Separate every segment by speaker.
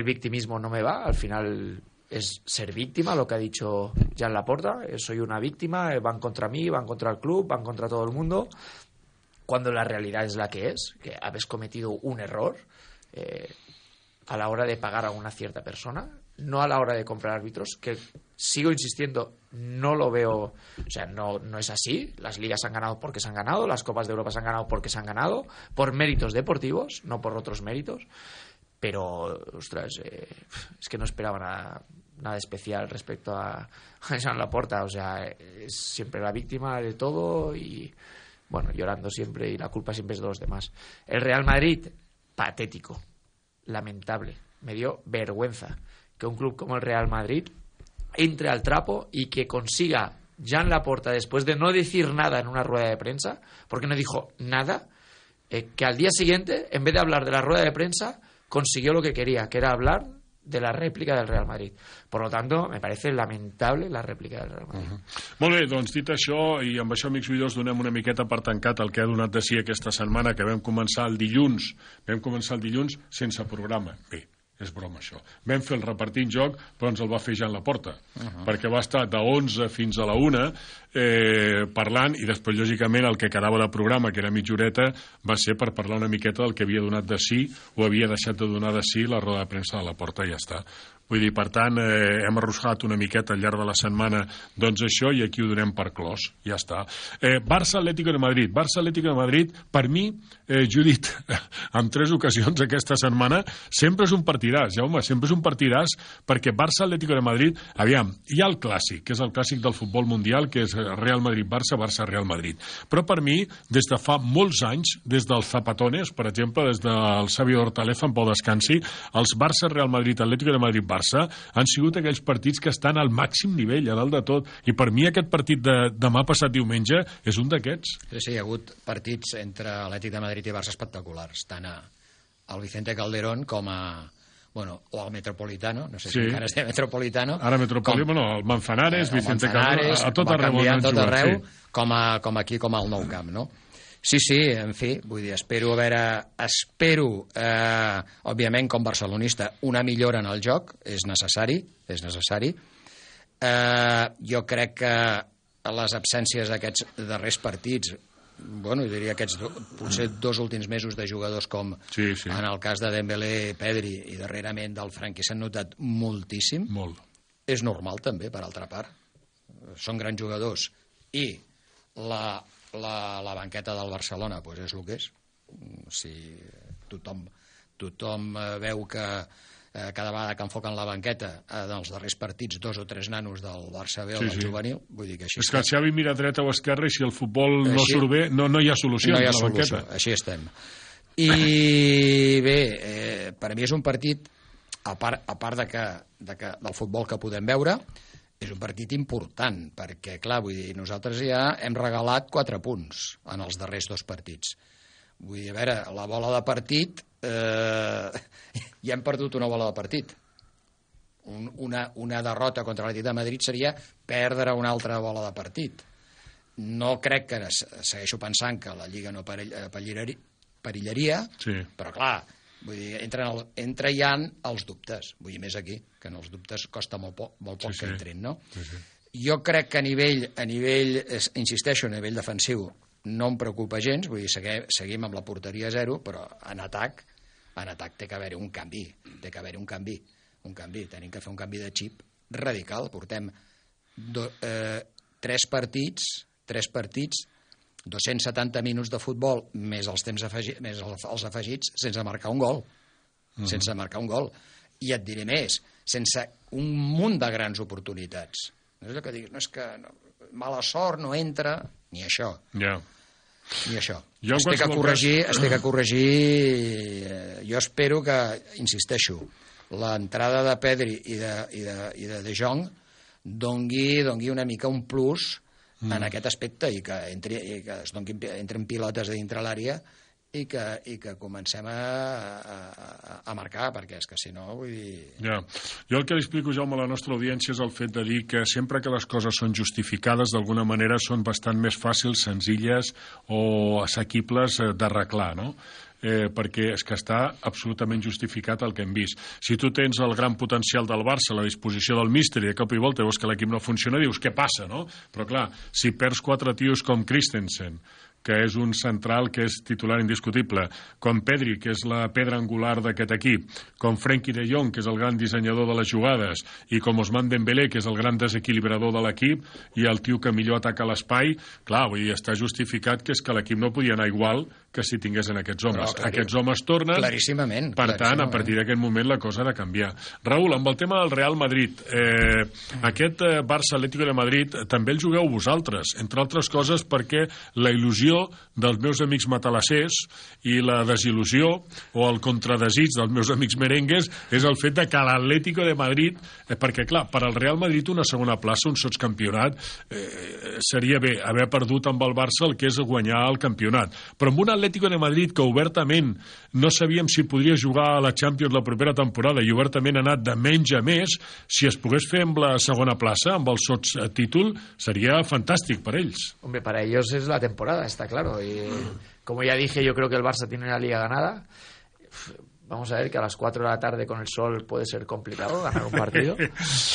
Speaker 1: El victimismo no me va, al final es ser víctima, lo que ha dicho Jan Laporta, soy una víctima, van contra mí, van contra el club, van contra todo el mundo, cuando la realidad es la que habéis cometido un error a la hora de pagar a una cierta persona, no a la hora de comprar árbitros, que sigo insistiendo, no lo veo, o sea, no es así. Las ligas han ganado porque se han ganado, las Copas de Europa se han ganado porque se han ganado, por méritos deportivos, no por otros méritos. Pero, ostras, es que no esperaba nada especial respecto a Joan Laporta. O sea, es siempre la víctima de todo y, bueno, llorando siempre, y la culpa siempre es de los demás. El Real Madrid, patético, lamentable. Me dio vergüenza que un club como el Real Madrid entre al trapo y que consiga Jan Laporta, después de no decir nada en una rueda de prensa, porque no dijo nada, que al día siguiente, en vez de hablar de la rueda de prensa, consiguió lo que quería, que era hablar de la rèplica del Real Madrid. Per tant, me parece lamentable la rèplica del Real Madrid.
Speaker 2: Molt bé, doncs dit això, i amb això, amics oïdors, donem una miqueta per tancat el que ha donat de si aquesta setmana, que vam començar el dilluns sense programa. Bé, és broma això. Vam fer el repartint joc, però ens el va fer Jan Laporta, perquè va estar de 11 fins a la 1 parlant, i després, lògicament, el que quedava de programa, que era mitja horeta, va ser per parlar una miqueta del que havia donat de si o havia deixat de donar de si la roda de premsa de Laporta, i ja està. Vull dir, per tant, hem arrossegat una miqueta al llarg de la setmana doncs això, i aquí ho donem per clos, ja està. Barça-Atlético de Madrid. Barça-Atlético de Madrid, per mi, jo he dit en 3 ocasions aquesta setmana, sempre és un partidàs, Jaume, sempre és un partidàs, perquè Barça-Atlético de Madrid, aviam, hi ha el clàssic, que és el clàssic del futbol mundial, que és Real Madrid-Barça, Barça-Real Madrid. Però per mi, des de fa molts anys, des dels Zapatones, per exemple, des del Xavi Hortaleza, en pau descansi, els Barça-Real Madrid, Atlético de Madrid-Barça han sigut aquells partits que estan al màxim nivell, a dalt de tot, i per mi aquest partit de demà passat diumenge és un d'aquests.
Speaker 3: Sí, hi ha hagut partits entre Atlètic de Madrid i Barça espectaculars, tant al Vicente Calderón com a... Bueno, o al Metropolitano, no sé si encara es diu Metropolitano.
Speaker 2: Ara Metropolitano, el Manzanares, Vicente Calderón, a tot arreu on han jugat.
Speaker 3: Com aquí, com al Nou Camp, no? Sí, en fi, vull dir, espero, òbviament, com barcelonista, una millora en el joc, és necessari. Jo crec que les absències d'aquests darrers partits, bueno, diria aquests potser 2 últims mesos de jugadors com en el cas de Dembélé, Pedri i darrerament del Franqui s'han notat moltíssim.
Speaker 2: Molt.
Speaker 3: És normal també, per altra part. Són grans jugadors i la banqueta del Barcelona doncs és el que és. Si tothom veu que cada vegada que enfoquen la banqueta dels darrers partits 2 o 3 nanos del Barça B o del juvenil, vull dir que així
Speaker 2: és que el Xavi mira dreta o esquerra i si el futbol no surt bé no hi ha solució a la banqueta.
Speaker 3: Així estem. I bé, per a mi és un partit, a part del futbol que podem veure, és un partit important, perquè, clar, vull dir, nosaltres ja hem regalat 4 punts en els darrers 2 partits. Vull dir, a veure, la bola de partit, ja hem perdut una bola de partit. Una derrota contra l'Atlètic de Madrid seria perdre una altra bola de partit. No crec que, segueixo pensant que la Lliga no perillaria, però, clar, vull dir, entra ja els dubtes, vull dir, més aquí, que en els dubtes costa molt poc que entrin, no? Jo crec que a nivell, insisteixo, a nivell defensiu, no em preocupa gens, vull dir, seguim amb la porteria a 0, però en atac té que haver-hi un canvi, tenim que fer un canvi de xip radical. Portem 3 partits, 270 minuts de futbol més els temps afegits, més els afegits, sense marcar un gol. I et diré més, sense un munt de grans oportunitats. No és el que diguis, no és que mala sort, no entra, ni això. Ni això. Estic a corregir. Jo espero que, insisteixo, l'entrada de Pedri i de Jong dongui una mica un plus en aquest aspecte i que entren pilotes a dintre l'àrea i que comencem a marcar, perquè és que si no, vull dir...
Speaker 2: Jo el que li explico, Jaume, a la nostra audiència és el fet de dir que sempre que les coses són justificades, d'alguna manera són bastant més fàcils, senzilles o assequibles d'arreglar, no? perquè és que està absolutament justificat el que hem vist. Si tu tens el gran potencial del Barça a la disposició del míster i de cop i volta veus que l'equip no funciona, dius què passa, no? Però clar, si perds 4 tios com Christensen, que és un central que és titular indiscutible, com Pedri, que és la pedra angular d'aquest equip, com Frenkie de Jong, que és el gran dissenyador de les jugades, i com Ousmane Dembélé, que és el gran desequilibrador de l'equip, i el tio que millor ataca l'espai, clar, vull dir, està justificat que és que l'equip no podia anar igual que si tinguessin aquests homes.
Speaker 3: Però,
Speaker 2: aquests homes tornen,
Speaker 3: claríssimament,
Speaker 2: per tant, a partir d'aquest moment la cosa ha de canviar. Raül, amb el tema del Real Madrid, aquest Barça-Atlético de Madrid també el jugueu vosaltres, entre altres coses perquè la il·lusió dels meus amics matalassers i la desil·lusió o el contradesig dels meus amics merengues és el fet de que l'Atlético de Madrid, perquè clar, per al Real Madrid una segona plaça, un sotscampionat, seria bé haver perdut amb el Barça el que és guanyar el campionat, però amb un Atlético de Madrid que obertament no sabíem si podria jugar a la Champions la propera temporada i obertament ha anat de menys a més, si es pogués fer amb la segona plaça, amb el sotstítol, sería fantàstic per ells.
Speaker 1: Hombre, para ellos es la temporada, está claro. Y como ya dije, yo creo que el Barça tiene la liga ganada. Vamos a ver que a las 4 de la tarde con el sol puede ser complicado ganar un partido.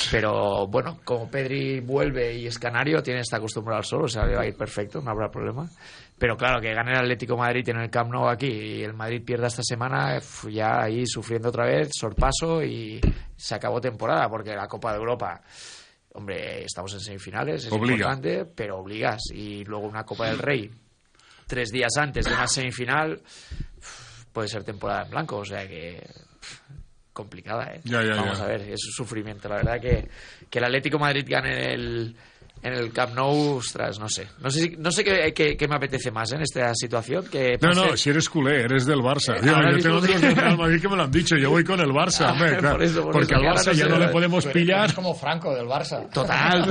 Speaker 1: Pero bueno, como Pedri vuelve y es canario, está acostumbrado al sol, o sea, le va a ir perfecto, no habrá problema. Pero claro, que gane el Atlético de Madrid en el Camp Nou aquí y el Madrid pierda esta semana, ya ahí sufriendo otra vez, sorpaso y se acabó temporada, porque la Copa de Europa... Hombre, estamos en semifinales, es importante, pero obligas. Y luego una Copa del Rey 3 días antes de una semifinal puede ser temporada en blanco, o sea que complicada, ¿eh? Vamos a ver, es un sufrimiento. La verdad que el Atlético de Madrid gane en el Camp Nou, ostras, no sé qué me apetece más en esta situación. Que
Speaker 2: no, si eres culé, eres del Barça. Yo tengo otros del Real Madrid que me lo han dicho, yo voy con el Barça, hombre, claro, porque al Barça ya no le podemos pillar.
Speaker 3: Es como Franco del Barça.
Speaker 1: Total,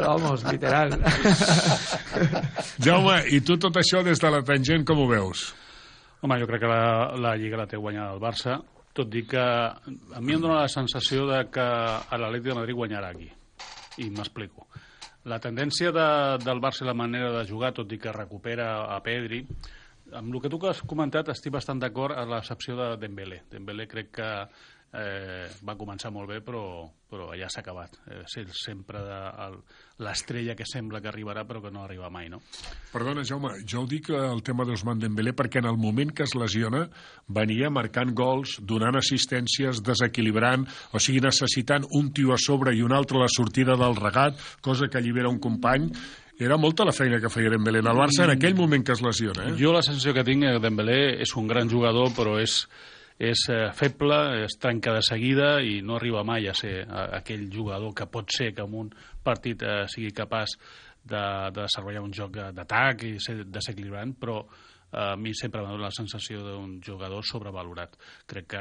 Speaker 1: vamos, literal.
Speaker 2: Jaume, i tu tot això des de la tangent com ho veus?
Speaker 4: Home, jo crec que la Lliga la té guanyada el Barça, tot i que a mi em dóna la sensació de que l'Atlètic de Madrid guanyarà aquí. I m'explico. La tendència del Barça i la manera de jugar, tot i que recupera a Pedri, amb el que tu has comentat estic bastant d'acord a l'excepció de Dembélé. Dembélé crec que va començar molt bé, però ja s'ha acabat. Sempre l'estrella que sembla que arribarà, però que no arriba mai, no?
Speaker 2: Perdona, Jaume, jo ho dic el tema d'Ousmane Dembélé perquè en el moment que es lesiona venia marcant gols, donant assistències, desequilibrant, o sigui, necessitant un tio a sobre i un altre a la sortida del regat, cosa que allibera un company. Era molta la feina que feia Dembélé en el Barça en aquell moment que es lesiona.
Speaker 4: Jo la sensació que tinc que Dembélé és un gran jugador, però és feble, es trenca de seguida i no arriba mai a ser aquell jugador que pot ser que en un partit sigui capaç de desenvolupar un joc d'atac i ser desequilibrant, però a mi sempre m'ha donat la sensació d'un jugador sobrevalorat. Crec que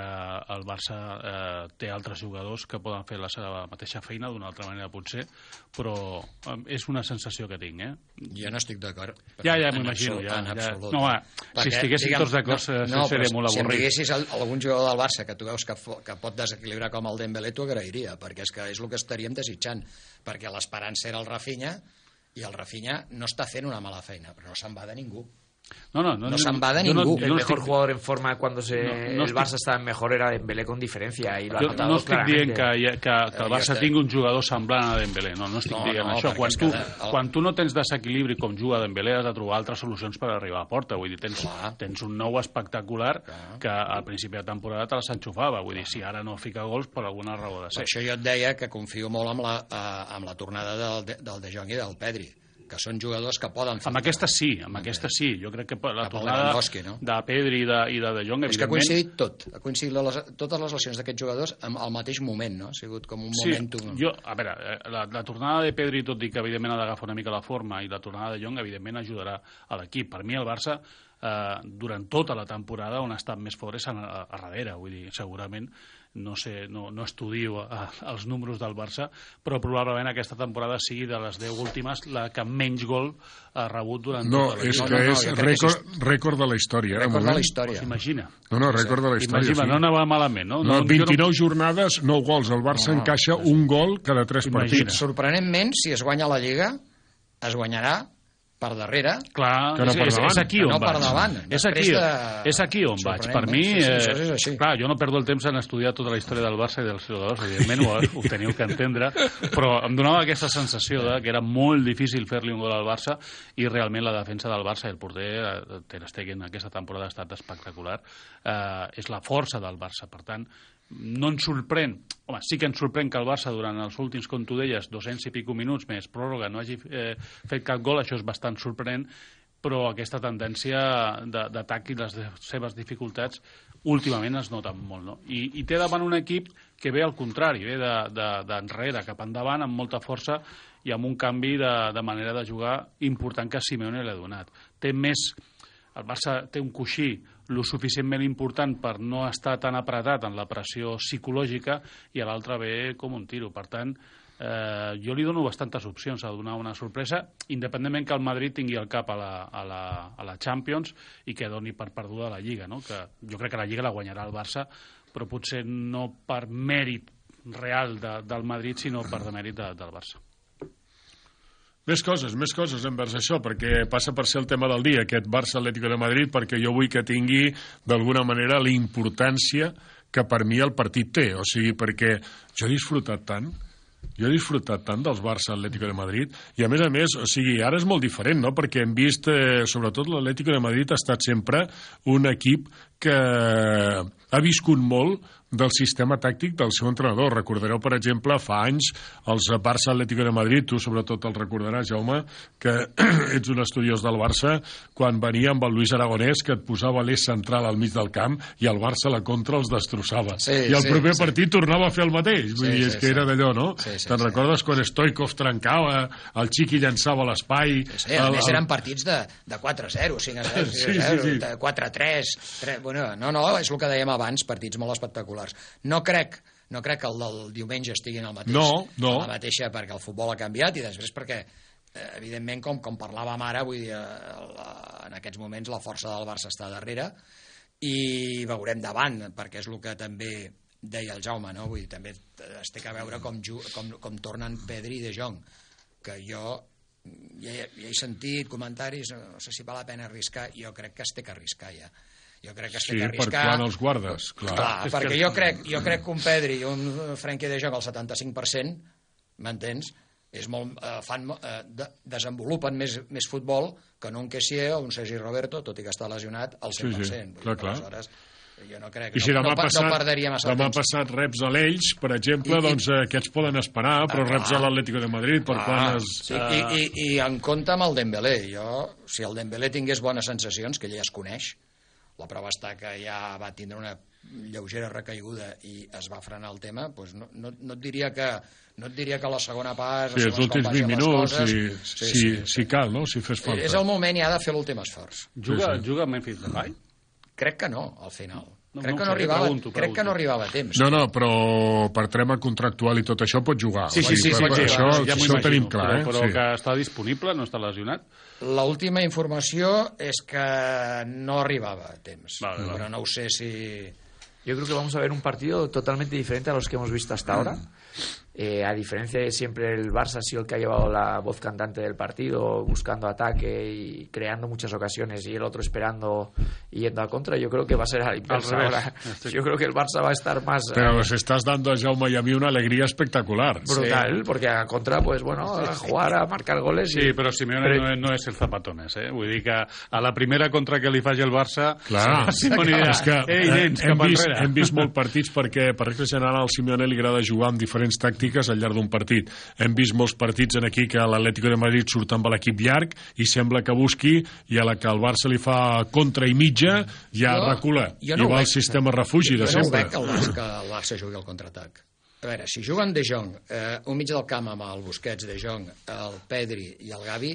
Speaker 4: el Barça té altres jugadors que poden fer la seva mateixa feina d'una altra manera potser, però és una sensació que tinc,
Speaker 3: Jo no estic d'acord.
Speaker 4: Ja m'imagino. No, si estiguéssim tots d'acord seria molt avorrit.
Speaker 3: Si em diguessis algun jugador del Barça que tu veus que pot desequilibrar com el Dembélé, t'ho agrairia, perquè és que és el que estaríem desitjant, perquè l'esperança era el Rafinha i el Rafinha no està fent una mala feina, però no se'n va de ningú. No se'n va de ningú.
Speaker 1: El mejor jugador en forma cuando el Barça estava mejor era Dembélé con diferència.
Speaker 4: No estic dient que el Barça tingui un jugador semblant a Dembélé, no estic dient això. Quan tu no tens desequilibri com juga Dembélé has de trobar altres solucions per arribar a porta. Vull dir, tens un nou espectacular que al principi de temporada te s'enxufava. Vull dir, si ara no fica gols per alguna raó de ser.
Speaker 3: Per això jo et deia que confio molt amb la tornada del De Jong i del Pedri, que són jugadors que poden fer...
Speaker 4: Amb aquesta sí. Jo crec que la tornada de Pedri i de Jong, evidentment...
Speaker 3: És que ha coincidit tot. Ha coincidit totes les lesions d'aquests jugadors al mateix moment, no? Ha sigut com un momentum...
Speaker 4: Sí, a veure, la tornada de Pedri, tot i que evidentment ha d'agafar una mica la forma, i la tornada de Jong, evidentment, ajudarà a l'equip. Per mi, el Barça, durant tota la temporada, on ha estat més fort és a darrere. Vull dir, segurament... No estudio els números del Barça, però probablement aquesta temporada sigui de les 10 últimes la que menys gol ha rebut durant tota la
Speaker 2: vida. És rècord de la història.
Speaker 3: Rècord de la història.
Speaker 4: S'imagina.
Speaker 2: Rècord de la història.
Speaker 4: Imagina, no anava malament, no?
Speaker 2: 29 jornades, 9 gols. El Barça encaixa un gol cada 3 partits.
Speaker 3: Sorprenentment, si es guanya la Lliga, es guanyarà per darrere,
Speaker 4: clar,
Speaker 2: que no per davant.
Speaker 4: és aquí on
Speaker 3: no
Speaker 4: vaig.
Speaker 3: per davant.
Speaker 4: És aquí on vaig. Per mi, clar, jo no perdo el temps en estudiar tota la història del Barça i dels jugadors, evidentment ho teniu que entendre, però em donava aquesta sensació que era molt difícil fer-li un gol al Barça i realment la defensa del Barça i el porter Ter Stegen aquesta temporada ha estat espectacular. És la força del Barça, per tant, no ens sorprèn, home, sí que ens sorprèn que el Barça durant els últims, com tu deies, 200 i pico minuts més pròrroga no hagi fet cap gol, això és bastant sorprenent, però aquesta tendència d'atac i les seves dificultats últimament es noten molt, no? I té davant un equip que ve al contrari, ve d'enrere cap endavant amb molta força i amb un canvi de manera de jugar important que Simeone l'ha donat. El Barça té un coixí lo suficientment important per no estar tan apretat en la pressió psicològica i a l'altre ve com un tiro. Per tant, jo li dono bastantes opcions a donar una sorpresa, independentment que el Madrid tingui el cap a la Champions i que doni per perduda la Lliga, no? Que jo crec que la Lliga la guanyarà el Barça, però potser no per mèrit real del Madrid, sinó per demèrit del Barça.
Speaker 2: Més coses envers això, perquè passa per ser el tema del dia, aquest Barça-Atlético de Madrid, perquè jo vull que tingui, d'alguna manera, la importància que per mi el partit té. O sigui, perquè jo he disfrutat tant dels Barça-Atlético de Madrid, i a més, o sigui, ara és molt diferent, no?, perquè hem vist, sobretot l'Atlético de Madrid ha estat sempre un equip que ha viscut molt del sistema tàctic del seu entrenador. Recordareu, per exemple, fa anys els Barça-Atlético de Madrid, tu sobretot el recordaràs, Jaume, que ets un estudiós del Barça, quan venia amb el Luis Aragonès, que et posava l'eix central al mig del camp i el Barça a la contra els destrossava. I el proper partit tornava a fer el mateix. Vull dir, és que era d'allò, no? Te'n recordes quan Stoikov trencava, el Chiqui llançava a l'espai...
Speaker 3: A més eren partits de 4-0, 5-0, 4-3... Bueno, no, és el que dèiem abans, partits molt espectaculars. No crec que el del diumenge estigui en el mateix, la mateixa, perquè el futbol ha canviat i després perquè, evidentment, com parlàvem ara, vull dir, en aquests moments la força del Barça està darrere i veurem davant, perquè és el que també deia el Jaume, no? Vull dir, també es té que veure com tornen Pedri i De Jong, que jo ja he sentit comentaris, no sé si val la pena arriscar, jo crec que es té que arriscar ja. Jo crec que es té que arriscar...
Speaker 2: Sí, per quan els guardes, clar.
Speaker 3: Perquè jo crec que un Pedri i un Frenkie de Jong al 75%, m'entens? Desenvolupen més futbol que no un Kessié o un Sergi Roberto, tot i que està lesionat al 100%.
Speaker 2: Sí, clar.
Speaker 3: Aleshores, jo no crec...
Speaker 2: I si demà
Speaker 3: perderia massa
Speaker 2: demà
Speaker 3: temps.
Speaker 2: Passat reps a l'Elx, per exemple, doncs aquests poden esperar, però reps a l'Atlético de Madrid, per quan es...
Speaker 3: I en compte amb el Dembélé. Si el Dembélé tingués bones sensacions, que ell ja es coneix, la prova està que ja va tindre una lleugera recaiguda i es va frenar el tema, doncs no et diria que a la segona part...
Speaker 2: Sí, els últims 20 minuts, si cal, no?, si fes falta.
Speaker 3: És el moment ja de fer l'últim esforç.
Speaker 4: Juga Memphis Depay?
Speaker 3: Crec que no, al final. Crec que no arribava a temps.
Speaker 2: No, però per tema contractual i tot això pot jugar.
Speaker 4: Sí,
Speaker 2: això ho tenim clar.
Speaker 4: Però que està disponible, no està lesionat?
Speaker 3: L'última informació és que no arribava a temps. Però no ho sé si...
Speaker 1: Yo creo que vamos a ver un partido totalmente diferente a los que hemos visto hasta ahora. A diferencia de siempre, el Barça ha sido el que ha llevado la voz cantante del partido, buscando ataque y creando muchas ocasiones, y el otro esperando y yendo a contra. Yo creo que va a ser al inverso ahora. Yo creo que el Barça va a estar más...
Speaker 2: Pero nos estás dando a Jaume y a mí una alegría espectacular.
Speaker 1: Brutal, porque a contra, pues bueno, a jugar, a marcar goles...
Speaker 4: Sí, però Simeone no és el zapatones, eh? Vull dir que a la primera contra que li faci el Barça...
Speaker 2: Clar,
Speaker 4: Simeone dirà,
Speaker 2: és que
Speaker 4: nens, cap enrere.
Speaker 2: Hem vist molts partits perquè, per regla general, al Simeone li agrada jugar amb diferents tàctiques al llarg d'un partit. Hem vist molts partits en aquí que l'Atlético de Madrid surt amb l'equip llarg i sembla que busqui, i a la que el Barça li fa contra i mitja ja recula. I va el sistema refugi de sempre.
Speaker 3: Jo no veig que el Barça jugui al contraatac. A veure, si juguen De Jong, un mig del camp amb el Busquets, De Jong, el Pedri i el Gavi,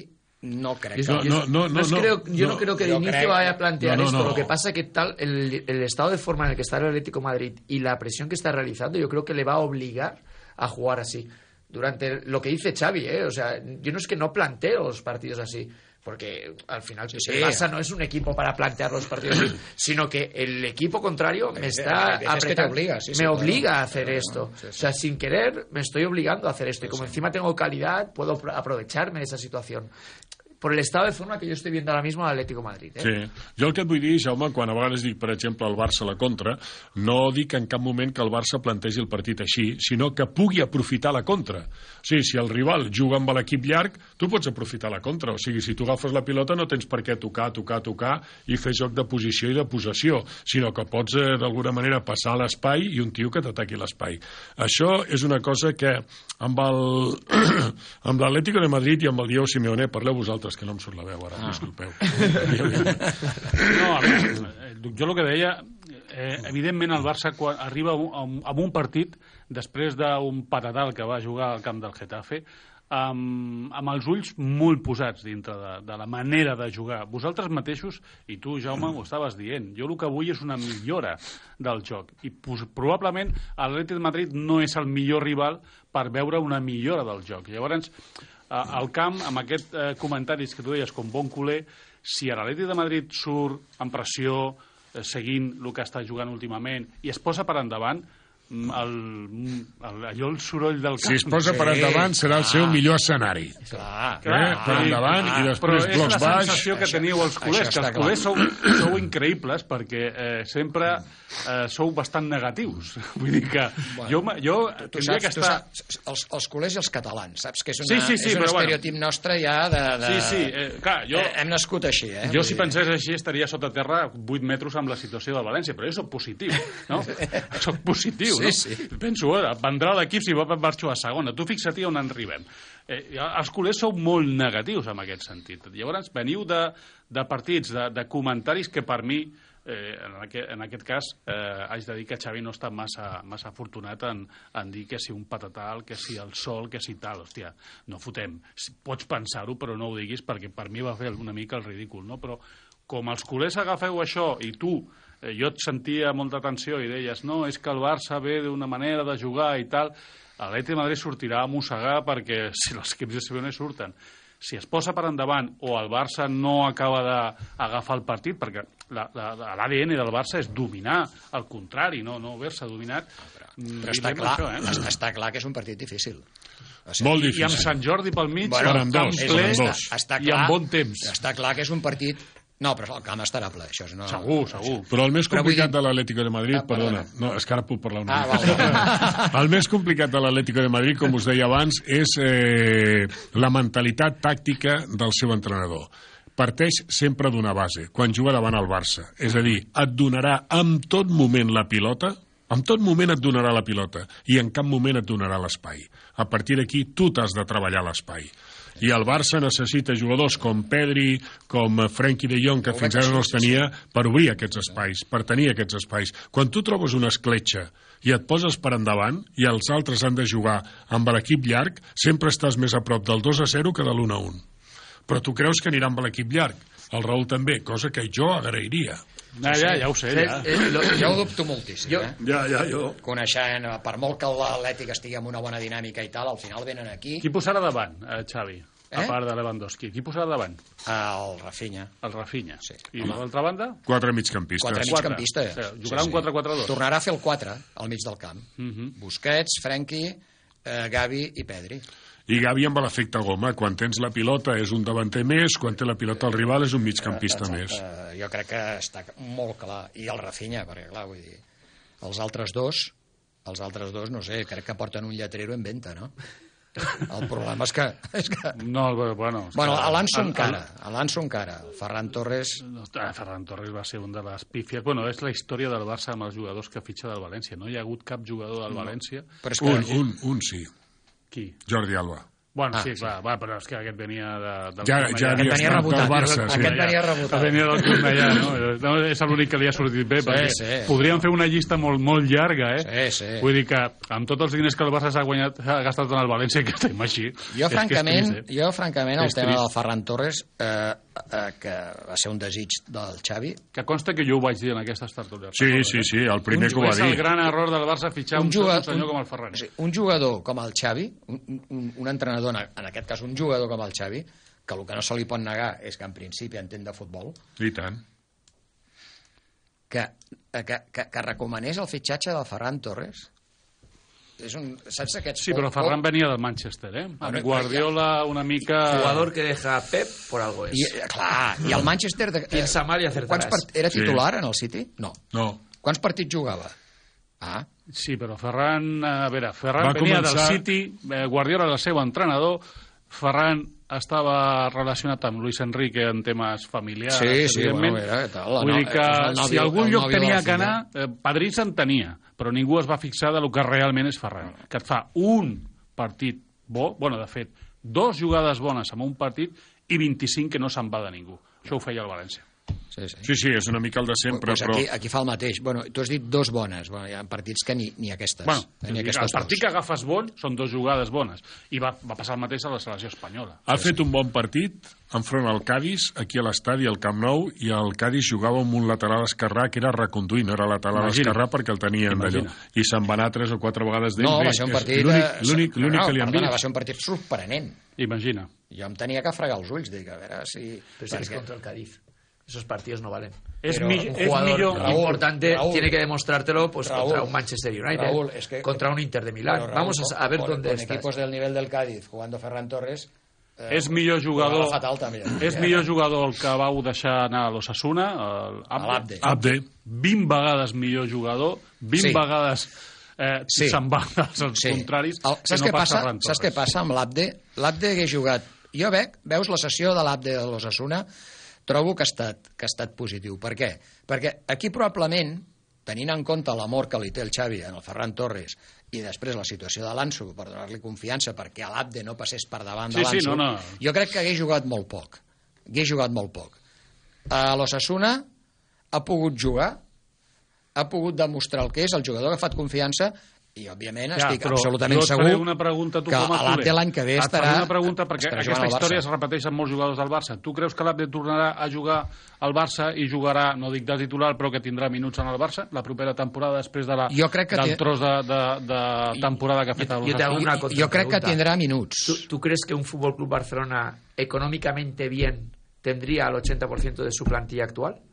Speaker 3: no crec que...
Speaker 1: Yo no creo que de inicio vaya a plantear esto. Lo que pasa es que el estado de forma en el que está el Atlético de Madrid y la presión que está realizando, yo creo que le va a obligar a jugar así. Durante lo que dice Xavi, o sea, yo no es que no planteo los partidos así, porque al final el Barça no es un equipo para plantear los partidos así, sino que el equipo contrario me está apretando, me obliga a hacer esto. O sea, sin querer me estoy obligando a hacer esto, y como encima tengo calidad, puedo aprovecharme de esa situación. por el estado de forma que yo estoy viendo ahora mismo al Atlético de Madrid.
Speaker 2: Sí. Jo el que et vull dir, Jaume, quan a vegades dic, per exemple, el Barça a la contra, no dic en cap moment que el Barça plantegi el partit així, sinó que pugui aprofitar la contra. O sigui, si el rival juga amb l'equip llarg, tu pots aprofitar la contra. O sigui, si tu agafes la pilota no tens per què tocar i fer joc de posició i de possessió, sinó que pots d'alguna manera passar a l'espai i un tio que t'ataqui l'espai. Això és una cosa que amb l'Atlético de Madrid i amb el Diego Simeone, parleu vosaltres, que no em surt la veu ara, disculpeu.
Speaker 4: No, a veure, jo el que deia, evidentment el Barça quan arriba a un partit després d'un patatal que va jugar al camp del Getafe, amb els ulls molt posats dintre de la manera de jugar. Vosaltres mateixos, i tu, Jaume, ho estaves dient, jo el que vull és una millora del joc, i probablement l'Atlètic de Madrid no és el millor rival per veure una millora del joc. Llavors, al camp, amb aquests comentaris que tu deies com bon culer, si l'Atlètic de Madrid surt en pressió, seguint el que està jugant últimament, i es posa per endavant, allò el soroll del camp...
Speaker 2: Si es posa per endavant serà el seu millor escenari. Per endavant i després blocs baix.
Speaker 4: Però és la sensació que teniu els culers, que els culers sou increïbles perquè sempre sou bastant negatius. Vull dir que jo tindria que estar...
Speaker 3: Els culers i els catalans, saps? Que és un estereotip nostre ja de...
Speaker 4: Sí, clar, jo...
Speaker 3: Hem nascut així,
Speaker 4: Jo si pensés així estaria sota terra 8 metres amb la situació del València, però jo soc positiu, no? Soc positiu.
Speaker 3: Sí.
Speaker 4: Penso, vendrà l'equip si marxo a segona. Tu fixa't on arribem. Els culers sou molt negatius en aquest sentit. Llavors veniu de partits, de comentaris que per mi, en aquest cas, haig de dir que Xavi no està massa afortunat en dir que si un patatal, que si el sol, que si tal. Hòstia, no fotem. Pots pensar-ho, però no ho diguis, perquè per mi va fer una mica el ridícul, no? Però com els culers agafeu això i tu... jo et sentia molta tensió i deies no, és que el Barça ve d'una manera de jugar i tal, l'Atlètic de Madrid sortirà a mossegar perquè si els equips de Simeone surten, si es posa per endavant o el Barça no acaba d'agafar el partit, perquè l'ADN del Barça és dominar, al contrari, no haver-se dominat.
Speaker 3: Però està clar que és un partit difícil.
Speaker 2: Molt difícil.
Speaker 4: I amb Sant Jordi pel mig,
Speaker 2: amb camp ple
Speaker 4: i amb bon temps.
Speaker 3: Està clar que és un partit... No, però el camp estarà ple, això no...
Speaker 4: Segur.
Speaker 2: Però el més complicat de l'Atlético de Madrid, perdona, no, és que ara puc parlar una mica. El més complicat de l'Atlético de Madrid, com us deia abans, és la mentalitat tàctica del seu entrenador. Parteix sempre d'una base, quan juga davant el Barça. És a dir, et donarà en tot moment la pilota, en tot moment et donarà la pilota, i en cap moment et donarà l'espai. A partir d'aquí, tu t'has de treballar l'espai. I el Barça necessita jugadors com Pedri, com Frenkie de Jong, que fins ara no els tenia, per obrir aquests espais, per tenir aquests espais. Quan tu trobes una escletxa i et poses per endavant i els altres han de jugar amb l'equip llarg, sempre estàs més a prop del 2-0 que de l'1-1. Però tu creus que anirà amb l'equip llarg. El Raül també, cosa que jo agrairia.
Speaker 4: Ja ho sé, ja.
Speaker 3: Jo ho dubto moltíssim,
Speaker 2: jo.
Speaker 3: Coneixent, per molt que l'Atlètic estigui amb una bona dinàmica i tal, al final venen aquí...
Speaker 4: Qui posarà davant, Xavi? A part de Lewandowski. Qui posarà davant?
Speaker 3: El Rafinha.
Speaker 4: El Rafinha.
Speaker 3: Sí.
Speaker 4: I a l'altra banda?
Speaker 2: 4 migcampistes.
Speaker 3: 4 migcampistes.
Speaker 4: Jugarà un 4-4-2.
Speaker 3: Tornarà a fer el 4 al mig del camp. Busquets, Frenkie, Gavi i Pedri.
Speaker 2: I Gavi amb l'efecte goma. Quan tens la pilota és un davanter més, quan té la pilota el rival és un migcampista més.
Speaker 3: Jo crec que està molt clar. I el Rafinha, perquè clar, vull dir... Els altres dos, no sé, crec que porten un lletrero en venta, no? El problema és que...
Speaker 4: No, bueno...
Speaker 3: L'Anso encara. El Ferran Torres...
Speaker 4: Ferran Torres va ser un de les pífies... Bueno, és la història del Barça amb els jugadors que fitxa del València. No hi ha hagut cap jugador del València...
Speaker 2: Un sí.
Speaker 4: Qui?
Speaker 2: Jordi Alba.
Speaker 4: Bueno, sí, clar, però és que aquest venia del
Speaker 2: ja havia estat del Barça.
Speaker 3: Aquest venia rebotat.
Speaker 4: Venia del Cornellà, no? És l'únic que li ha sortit bé, perquè podríem fer una llista molt, molt llarga,
Speaker 3: Sí.
Speaker 4: Vull dir que amb tots els diners que el Barça s'ha gastat en el València, que estem així...
Speaker 3: Jo, francament, el tema del Ferran Torres, que va ser un desig del Xavi...
Speaker 4: Que consta que jo ho vaig dir en aquestes tertúlies.
Speaker 2: Sí, el primer que ho va dir.
Speaker 4: És el gran error del Barça fitxar un senyor com el Ferran.
Speaker 3: Un jugador com el Xavi, un entrenador, en aquest cas un jugador com el Xavi, que el que no se li pot negar és que en principi entén de futbol,
Speaker 2: i tant,
Speaker 3: que recomanés el fitxatge del Ferran Torres, saps aquests...
Speaker 4: Sí, però Ferran venia del Manchester, amb Guardiola una mica...
Speaker 1: Jugador que deja Pep por algo es.
Speaker 3: I el Manchester...
Speaker 1: Piensa mal y acertarás.
Speaker 3: Era titular en el City? No. Quants partits jugava?
Speaker 4: Sí, però Ferran venia del City, Guardiola era el seu entrenador, Ferran estava relacionat amb Luis Enrique en temes familiars, evidentment. Vull dir que si algun lloc tenia que anar, padrí se'n tenia, però ningú es va fixar de lo que realment és Ferran, que et fa un partit bo, de fet, 2 jugades bones en un partit i 25 que no se'n va de ningú. Això ho feia el València.
Speaker 2: Sí, és una mica el de sempre,
Speaker 3: però... Aquí fa el mateix. Tu has dit 2 bones. Hi ha partits que ni aquestes.
Speaker 4: El partit que agafes bon són 2 jugades bones. I va passar el mateix a la selecció espanyola.
Speaker 2: Ha fet un bon partit enfront al Cádiz, aquí a l'estadi, al Camp Nou, i el Cádiz jugava amb un lateral esquerrà que era reconduint, no era lateral esquerrà perquè el tenien d'allò. I se'n va anar 3 o 4 vegades d'ell.
Speaker 3: No, va ser un partit...
Speaker 2: L'únic que li han vist.
Speaker 3: Va ser un partit sorprenent.
Speaker 4: Imagina.
Speaker 3: Jo em tenia que fregar els ulls, dic, a veure si...
Speaker 1: Però si és contra el Cádiz. Esos partidos no valen.
Speaker 4: Un jugador
Speaker 1: importante tiene que demostrártelo contra un Manchester United, contra un Inter de Milán. Vamos a ver dónde estás.
Speaker 3: Con equipos del nivel del Cádiz, jugando Ferran Torres...
Speaker 4: És millor jugador el que vau deixar anar a l'Osasuna,
Speaker 3: l'Abde.
Speaker 4: 20 vegades millor jugador, 20 vegades se'n va als contraris, que no pas Ferran Torres.
Speaker 3: Saps què passa amb l'Abde? L'Abde hagués jugat... Jo veus la sessió de l'Abde de l'Osasuna, trobo que ha estat positiu. Per què? Perquè aquí probablement, tenint en compte l'amor que li té el Xavi en el Ferran Torres i després la situació de l'Anso per donar-li confiança perquè l'Abde no passés per davant de l'Anso, jo crec que hagués jugat molt poc. A l'Osasuna ha pogut jugar, ha pogut demostrar el que és, el jugador ha agafat confiança i, òbviament, estic absolutament segur que l'Abde l'any que ve estarà...
Speaker 4: Et faré una pregunta, perquè aquesta història es repeteix amb molts jugadors del Barça. Tu creus que l'Abde tornarà a jugar al Barça i jugarà, no dic de titular, però que tindrà minuts en el Barça la propera temporada després del tros de temporada que ha fet el Barça?
Speaker 3: Jo crec que tindrà minuts.
Speaker 1: ¿Tú crees que un Fútbol Club Barcelona económicamente bien tendría el 80% de su plantilla actual?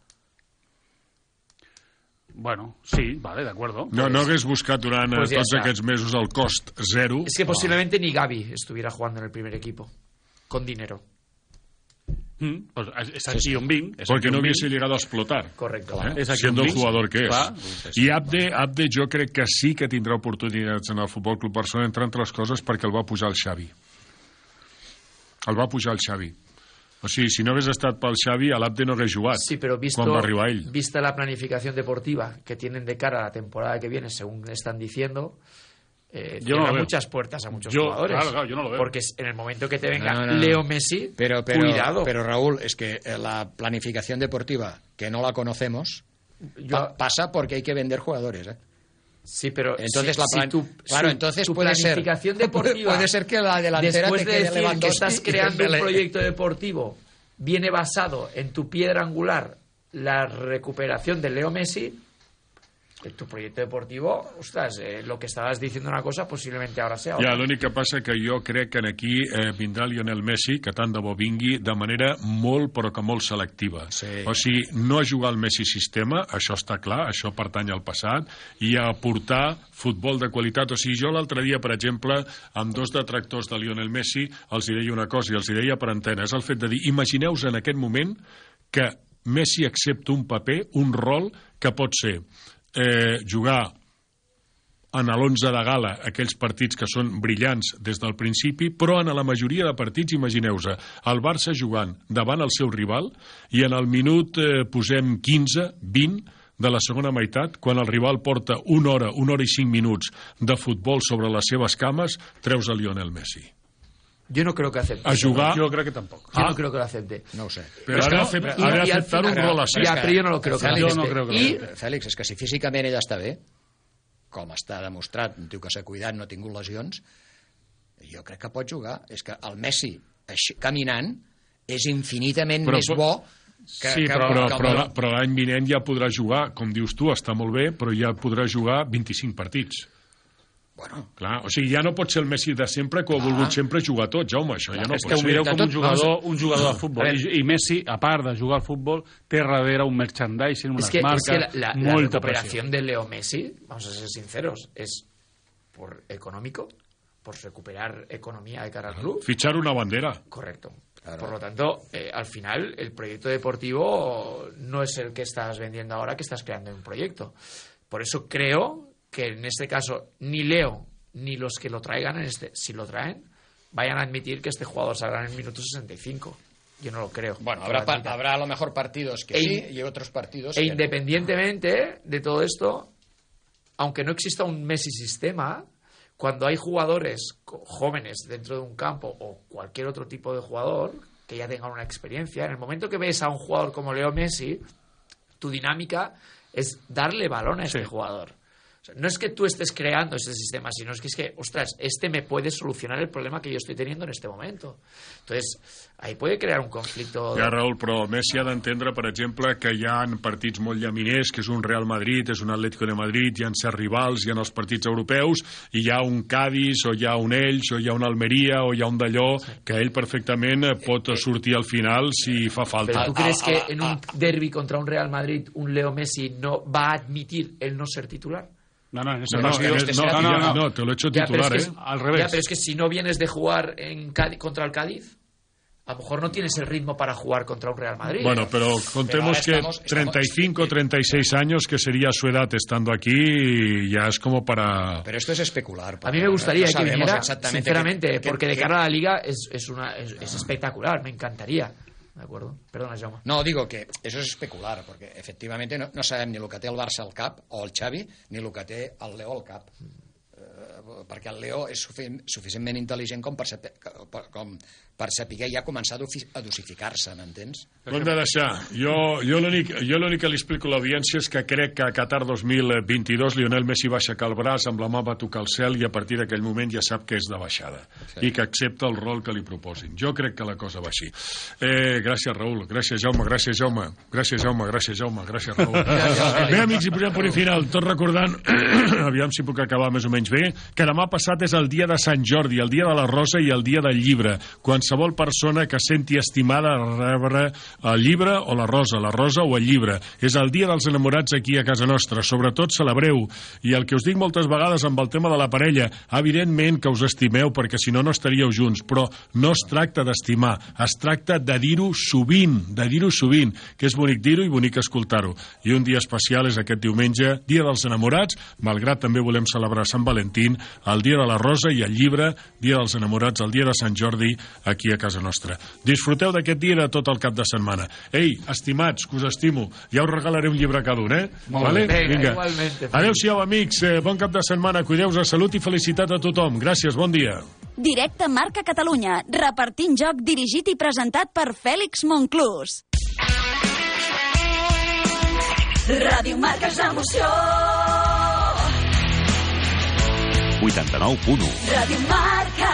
Speaker 4: Bueno, sí, vale, de acuerdo.
Speaker 2: No hagués buscat durant tots aquests mesos el cost zero.
Speaker 1: Es que posiblemente ni Gavi estuviera jugando en el primer equipo, con dinero.
Speaker 4: Pues es aquí un vinc.
Speaker 2: Porque no hubiese llegado a explotar.
Speaker 1: Correcto.
Speaker 2: Siendo el jugador que és. I Abde jo crec que sí que tindrà oportunitats en el Futbol Club Barcelona, entre altres coses perquè el va pujar el Xavi. O sigui, si no hagués estat pel Xavi, l'Abde no hagués jugat.
Speaker 1: Sí, pero
Speaker 2: quan va arribar ell.
Speaker 1: Vista la planificación deportiva que tienen de cara a la temporada que viene, según están diciendo, cierra muchas puertas a muchos jugadores.
Speaker 4: Claro, yo no lo veo.
Speaker 1: Porque en el momento que te venga Leo Messi, cuidado.
Speaker 3: Pero Raúl, es que la planificación deportiva, que no la conocemos, pasa porque hay que vender jugadores,
Speaker 1: Sí, pero
Speaker 3: entonces
Speaker 1: tu planificación deportiva
Speaker 3: puede ser que la delantera
Speaker 1: después
Speaker 3: te
Speaker 1: de
Speaker 3: quede
Speaker 1: decir que estás creando un proyecto deportivo viene basado en tu piedra angular, la recuperación de Leo Messi. Tu proyecto deportivo, ostras, lo que estabas diciendo una cosa, posiblemente ahora sea otra.
Speaker 2: L'únic que passa que jo crec que aquí vindrà Lionel Messi, que tant de bo vingui, de manera molt, però que molt selectiva. O sigui, no a jugar al Messi sistema, això està clar, això pertany al passat, i a aportar futbol de qualitat. O sigui, jo l'altre dia, per exemple, amb 2 detractors de Lionel Messi, els hi deia una cosa, i els hi deia per antena, és el fet de dir, imagineu-vos en aquest moment que Messi accepta un paper, un rol que pot ser jugar en l'11 de gala aquells partits que són brillants des del principi, però en la majoria de partits, imagineu-vos, el Barça jugant davant el seu rival i en el minut posem 15, 20 de la segona meitat, quan el rival porta una hora i 5 minuts de futbol sobre les seves cames, treus a Lionel Messi.
Speaker 1: Yo no creo que acepte.
Speaker 2: A jugar...
Speaker 4: Yo creo que tampoco.
Speaker 1: Yo no creo que lo acepte.
Speaker 3: No ho sé.
Speaker 2: Però ha d'aceptar un rol així.
Speaker 1: Però jo no lo creo que acepte.
Speaker 3: Fèlix, és que si físicament ell està bé, com està demostrat, un tio que s'ha cuidat, no ha tingut lesions, jo crec que pot jugar. És que el Messi, caminant, és infinitament més bo
Speaker 2: però l'any vinent ja podrà jugar, com dius tu, està molt bé, però ja podrà jugar 25 partits.
Speaker 3: Bueno,
Speaker 2: clar, o sigui, ja no pot ser el Messi de sempre que ha volgut sempre jugar tot, Jaume, això ja no pot ser.
Speaker 4: És que ho mireu com un jugador de futbol, i Messi, a part de jugar al futbol, té darrere un merchandising, unes marques,
Speaker 1: la recuperación de Leo Messi, vamos a ser sinceros, es por económico, por recuperar economía de cara al club.
Speaker 2: Fichar una bandera.
Speaker 1: Correcto. Claro. Por lo tanto, al final, el proyecto deportivo no es el que estás vendiendo ahora, que estás creando un proyecto. Por eso creo que en este caso ni Leo ni los que lo traigan, si lo traen, vayan a admitir que este jugador saldrá en el minuto 65. Yo no lo creo.
Speaker 3: Bueno, habrá a lo mejor partidos que sí y otros partidos que
Speaker 1: independientemente de todo esto, aunque no exista un Messi sistema, cuando hay jugadores jóvenes dentro de un campo o cualquier otro tipo de jugador que ya tengan una experiencia, en el momento que ves a un jugador como Leo Messi, tu dinámica es darle balón a este jugador. O sea, no es que tú estés creando ese sistema, sino es que, ostras, este me puede solucionar el problema que yo estoy teniendo en este momento. Entonces, ahí puede crear un conflicto.
Speaker 2: Ja, Raül, però Messi ha d'entendre, per exemple, que hi ha partits molt llaminers, que és un Real Madrid, és un Atlético de Madrid, hi ha certs rivals, hi ha els partits europeus, i hi ha un Cádiz, o hi ha un Elx, o hi ha un Almeria, o hi ha un d'allò, que ell perfectament pot sortir al final si fa falta.
Speaker 1: ¿Pero tú crees que en un derbi contra un Real Madrid un Leo Messi no va a admitir el no ser titular?
Speaker 4: No,
Speaker 2: te lo he hecho titular,
Speaker 4: al revés.
Speaker 1: Ya, pero es que si no vienes de jugar contra el Cádiz, a lo mejor no tienes el ritmo para jugar contra un Real Madrid.
Speaker 2: Bueno, pero contemos que 35, 36 años, que sería su edad estando aquí, ya es como para...
Speaker 3: Pero esto es especular.
Speaker 1: A mí me gustaría que viniera, sinceramente, porque de cara a la Liga es espectacular, me encantaría. ¿De acuerdo? Perdona, Jaume.
Speaker 3: No, digo que eso es especular, porque efectivamente no sabem ni el que té el Barça al cap, o el Xavi, ni el que té el Leo al cap. Perquè el Leo és suficientment intel·ligent com per saber ja començar a dosificar-se, m'entens?
Speaker 2: Ho hem de deixar. Jo l'únic que li explico a l'audiència és que crec que a Qatar 2022 Lionel Messi va aixecar el braç, amb la mà va tocar el cel i a partir d'aquell moment ja sap que és de baixada i que accepta el rol que li proposin. Jo crec que la cosa va així. Gràcies, Raül. Gràcies, Jaume. Gràcies, Jaume. Gràcies, Jaume. Gràcies, Jaume. Gràcies, Raül. Bé, amics, i posem punt final. Tot recordant, aviam si puc acabar més o menys bé, que demà passat és el dia de Sant Jordi, el dia de la rosa i el dia del llibre. Qualsevol persona que senti estimada rebre el llibre o la rosa o el llibre. És el dia dels enamorats aquí a casa nostra. Sobretot celebreu. I el que us dic moltes vegades amb el tema de la parella, evidentment que us estimeu perquè si no, no estaríeu junts, però no es tracta d'estimar, es tracta de dir-ho sovint, que és bonic dir-ho i bonic escoltar-ho. I un dia especial és aquest diumenge, dia dels enamorats, malgrat també volem celebrar Sant Valentín, el dia de la rosa i el llibre, dia dels enamorats, el dia de Sant Jordi, aquí a casa nostra. Disfruteu d'aquest dia de tot el cap de setmana. Ei, estimats, que us estimo, ja us regalaré un llibre cada un,
Speaker 1: Vale? Vinga.
Speaker 2: Adéu-siau, amics, bon cap de setmana, cuideu-vos, salut i felicitat a tothom. Gràcies, bon dia.
Speaker 5: Directe Marca Catalunya, repartint joc dirigit i presentat per Fèlix Monclús. Ràdio Marca és emoció.
Speaker 6: 89.1
Speaker 5: Ràdio Marca.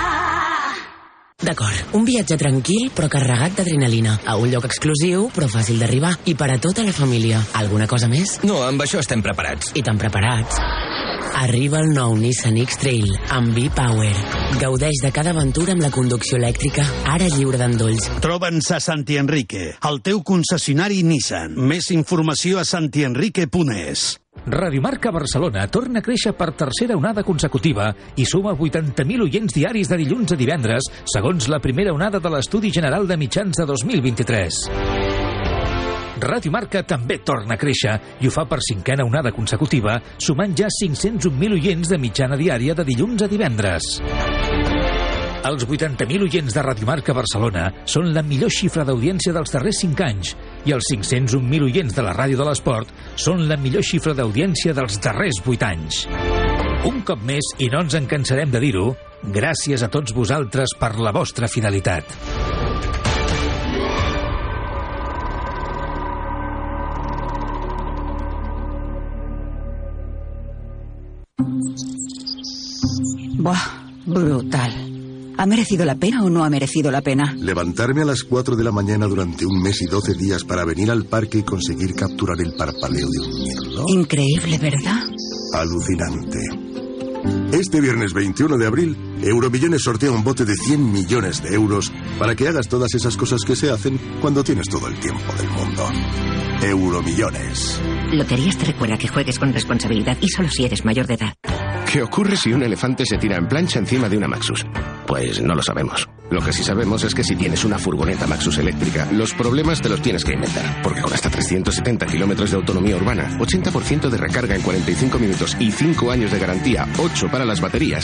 Speaker 7: D'acord, un viatge tranquil però carregat d'adrenalina, a un lloc exclusiu però fàcil d'arribar, i per a tota la família. Alguna cosa més?
Speaker 8: No, amb això estem preparats.
Speaker 7: I tan preparats. Arriba el nou Nissan X-Trail amb V-Power. Gaudeix de cada aventura amb la conducció elèctrica, ara lliure d'endolls.
Speaker 9: Troba'ns a Santi Enrique, el teu concessionari Nissan. Més informació a santienrique.es.
Speaker 10: Ràdio Marca Barcelona torna a créixer per tercera onada consecutiva i suma 80.000 oients diaris de dilluns a divendres, segons la primera onada de l'Estudi General de Mitjans de 2023. Ràdio Marca també torna a créixer i ho fa per cinquena onada consecutiva, sumant ja 501.000 oients de mitjana diària de dilluns a divendres. Els 80.000 oients de Ràdio Marca Barcelona són la millor xifra d'audiència dels darrers 5 anys i els 501.000 oients de la ràdio de l'esport són la millor xifra d'audiència dels darrers 8 anys. Un cop més, i no ens en cansarem de dir-ho, gràcies a tots vosaltres per la vostra fidelitat.
Speaker 11: Buah, brutal. ¿Ha merecido la pena o no ha merecido la pena?
Speaker 12: Levantarme a las 4 de la mañana durante un mes y 12 días para venir al parque y conseguir capturar el parpadeo de un mirlo.
Speaker 11: Increíble, ¿verdad?
Speaker 12: Alucinante. Este viernes 21 de abril, Euromillones sortea un bote de 100 millones de euros para que hagas todas esas cosas que se hacen cuando tienes todo el tiempo del mundo. Euromillones.
Speaker 13: Loterías te recuerda que juegues con responsabilidad y solo si eres mayor de edad.
Speaker 6: ¿Qué ocurre si un elefante se tira en plancha encima de una Maxus? Pues no lo sabemos. Lo que sí sabemos es que si tienes una furgoneta Maxus eléctrica, los problemas te los tienes que inventar. Porque con hasta 370 kilómetros de autonomía urbana, 80% de recarga en 45 minutos y 5 años de garantía, 8 para las baterías,